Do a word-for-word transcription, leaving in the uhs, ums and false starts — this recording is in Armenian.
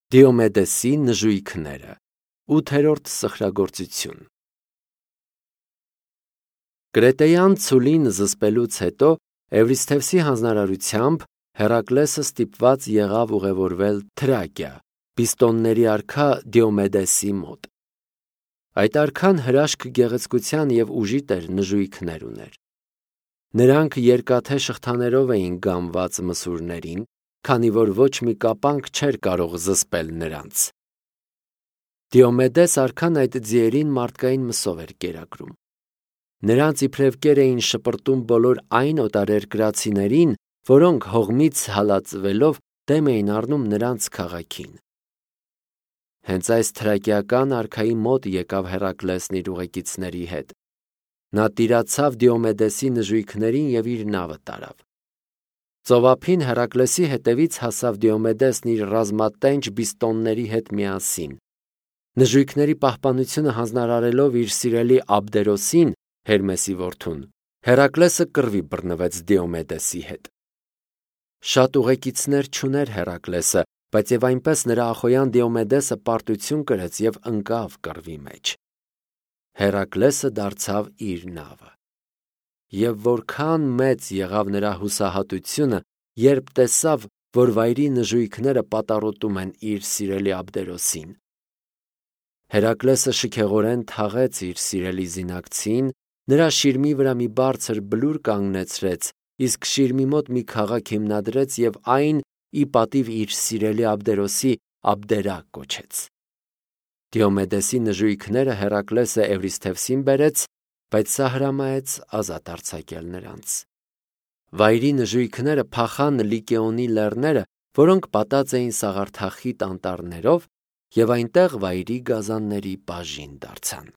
Դիոմեդեսի նժույգները։ Ութերորդ սխրագործություն։ Կրետեյան ցուլին զսպելուց հետո Էվրիսթևսի հանձնարարությամբ Հերակլեսը ստիպված եղավ ուղևորվել Թրակիա, պիստոնների արքա Դիոմեդեսի մոտ։ Այդ արքան հրաշք գեղեցկության և ուժի տեր նժույգներ ուներ։ Նրանք երկաթե շղթաներով էին գամված մսուրներին, քանի որ ոչ մի կապանք չէր կարող զսպել նրանց։ Դիոմեդես արքան այդ ձիերին մարդկային մսով էր կերակրում։ Նրանց իբրև կեր էին շպրտում բոլոր այն օտարերկրացիներին, որոնք հողմից հալածվելով դեմ էին առնում նրանց քաղաքին։ Հենց այս թրակիական արքայի մոտ եկավ Հերակլեսն իր ուղեկիցների հետ։ Նա տիրացավ Դիոմեդեսի նժույգներին և իր նավը տարավ։ Ծովափին Հերակլեսի հետևից հասավ Դիոմեդեսն իր ռազմատենչ բիստոնների հետ միասին։ Նժույգների պահպանությունը հանձնարարելով իր սիրելի Աբդերոսին, Հերմեսի որդուն, Հերակլեսը կռվի բռնվեց Դիոմեդեսի հետ։ Շատ ուղեկիցներ չուներ Հերակլեսը, բայց և այնպես նրա ախոյան Դիոմեդեսը պարտություն կրեց և ընկավ կռվի մեջ։ Հերակլեսը դարձավ իր նավը։ Եվ որքան մեծ եղավ նրա հուսահատությունը, երբ տեսավ, որ վայրի նժույգները պատառոտում են իր սիրելի Աբդերոսին։ Հերակլեսը շքեղորեն թաղեց իր սիրելի զինակցին, նրա շիրմի վրա մի բարձր բլուր կանգնեցրեց, իսկ շիրմի մոտ մի քաղաք հիմնադրեց և այն ի պատիվ իր սիրելի Աբդերոսի Աբդերա կոչեց։ Դիոմեդեսի նժույգները Հերակլեսը Էվրիսթևսին բերեց, բայց սա հրամայեց ազատ արձակել նրանց։ Վայրի նժույգները փախան Լիկեոնի լեռները, որոնք պատած էին սաղարթախիտ անտառներով, և այնտեղ վայրի գազանների բաժին դարձան։